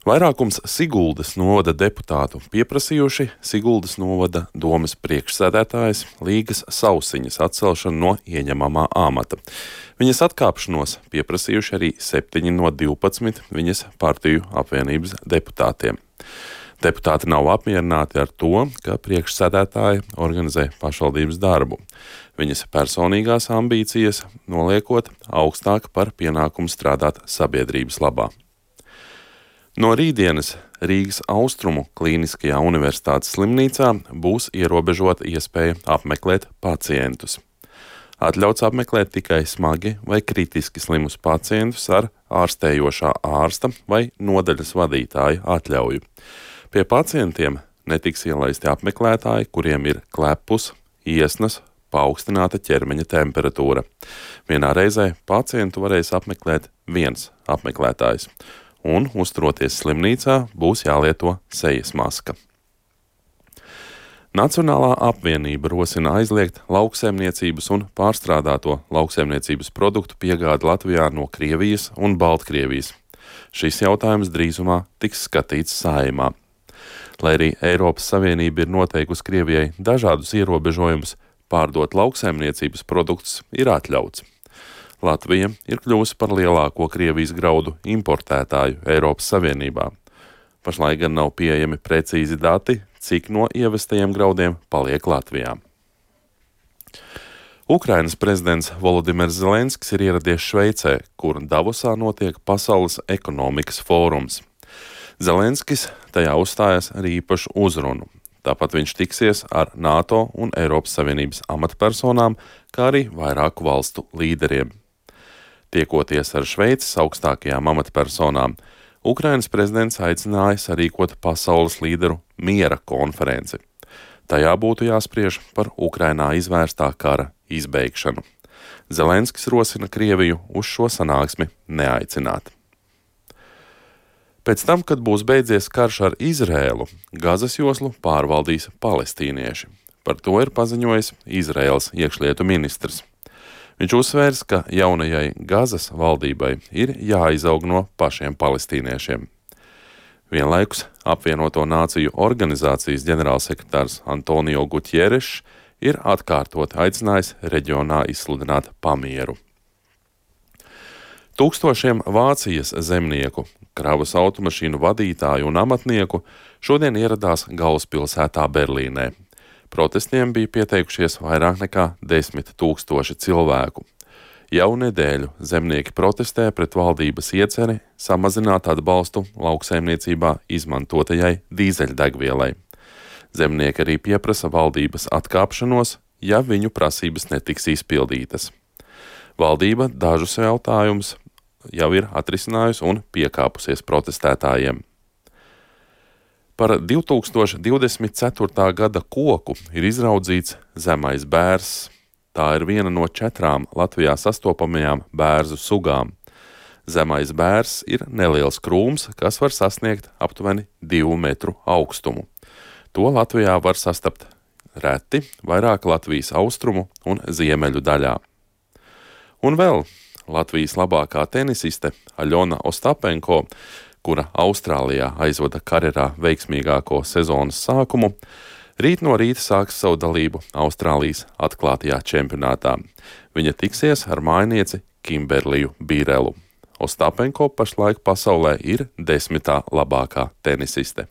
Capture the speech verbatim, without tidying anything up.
Vairākums Siguldas novada deputātu pieprasījuši Siguldas novada domes priekšsēdētājas Līgas Sausiņas atcelšanu no ieņemamā amata. Viņas atkāpšanos pieprasījuši arī septiņi no divpadsmit viņas partiju apvienības deputātiem. Deputāti nav apmierināti ar to, ka priekšsēdētāja organizē pašvaldības darbu. Viņas personīgās ambīcijas noliekot augstāk par pienākumu strādāt sabiedrības labā. No rītdienas Rīgas Austrumu Klīniskajā universitātes slimnīcā būs ierobežota iespēja apmeklēt pacientus. Atļauts apmeklēt tikai smagi vai kritiski slimus pacientus ar ārstējošā ārsta vai nodaļas vadītāja atļauju. Pie pacientiem netiks ielaisti apmeklētāji, kuriem ir klepus, iesnas, paaugstināta ķermeņa temperatūra. Vienā reizē pacientu varēs apmeklēt viens apmeklētājs, un uzturoties slimnīcā būs jālieto sejas maska. Nacionālā apvienība rosina aizliegt lauksaimniecības un pārstrādāto lauksaimniecības produktu piegādi Latvijā no Krievijas un Baltkrievijas. Šis jautājums drīzumā tiks skatīts Saeimā. Lai arī Eiropas Savienība ir noteikusi Krievijai dažādus ierobežojumus, pārdot lauksaimniecības produktus ir atļauts. Latvija ir kļuvusi par lielāko Krievijas graudu importētāju Eiropas Savienībā. Pašlaik gan nav pieejami precīzi dati, cik no ievestajiem graudiem paliek Latvijā. Ukrainas prezidents Volodimirs Zelenskis ir ieradies Šveicē, kur Davosā notiek Pasaules ekonomikas fórums. Zelenskis tajā uzstājas ar īpašu uzrunu. Tāpat viņš tiksies ar NATO un Eiropas Savienības amatpersonām, kā arī vairāku valstu līderiem. Tiekoties ar Šveices augstākajām amatpersonām, Ukrainas prezidents aicināja sarīkot pasaules līderu miera konferenci. Tajā būtu jāspriež par Ukrainā izvērstā kara izbeigšanu. Zelenskis rosina Krieviju uz šo sanāksmi neaicināt. Pēc tam, kad būs beidzies karš ar Izrēlu, Gazas joslu pārvaldīs palestīnieši. Par to ir paziņojis Izraēlas iekšlietu ministrs. Viņš uzsvērs, ka jaunajai Gazas valdībai ir jāizaug no pašiem palestīniešiem. Vienlaikus apvienoto nāciju organizācijas ģenerālsekretārs Antonio Gutierešs ir atkārtot aicinājis reģionā izsludināt pamieru. Tūkstošiem Vācijas zemnieku, kravas automašīnu vadītāju un amatnieku šodien ieradās galvaspilsētā Berlīnē. Protestiem bija pieteikušies vairāk nekā desmit tūkstoši cilvēku. Jau nedēļu zemnieki protestē pret valdības ieceri samazināt atbalstu lauksaimniecībā izmantotajai dīzeļdegvielai. Zemnieki arī pieprasa valdības atkāpšanos, ja viņu prasības netiks izpildītas. Valdība dažus jautājumus jau ir atrisinājusi un piekāpusies protestētājiem. Par divi tūkstoši divdesmit ceturtā gada koku ir izraudzīts zemais bērzs. Tā ir viena no četrām Latvijā sastopamajām bērzu sugām. Zemais bērzs ir neliels krūms, kas var sasniegt aptuveni divu metru augstumu. To Latvijā var sastapt reti vairāk Latvijas austrumu un ziemeļu daļā. Un vēl Latvijas labākā tenisiste Aļona Ostapenko, kura Austrālijā aizvada karjerā veiksmīgāko sezonas sākumu, rīt no rīta sāks savu dalību Austrālijas atklātajā čempionātā. Viņa tiksies ar mājnieci Kimberliju Bīrelu. Ostapenko pašlaik pasaulē ir desmitā labākā tenisiste.